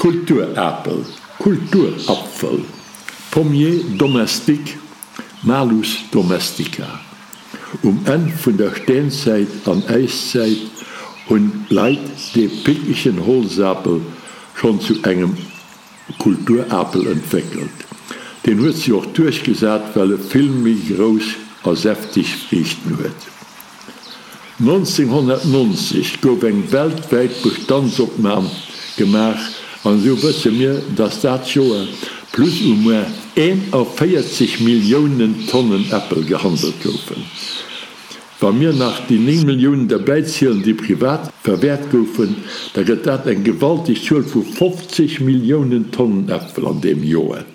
Kulturapel, Kulturapfel, Pommier domestique, Malus domestica. Um Enn vun der Steenzäit an Äiszäit hunn d'Leit dee pickegen Holzapel schonn zu engem Kulturapel entwéckelt. Deen huet sech och duerchgesat, well e vill méi grouss a säfteg Friichten huet. 1990 gouf eng weltwäit Bestandsopnam gemaach an esou wësse mir, dass dat Joer plus ou moins 41 Milliounen Tonnen Äppel gehandelt goufen. Wa mir nach déi 9 Milliounen derbäi zielen, déi privat verwäert goufen, da gëtt dat eng gewalteg Zuel vu 50 Milliounen Tonnen Äpfel an deem Joer.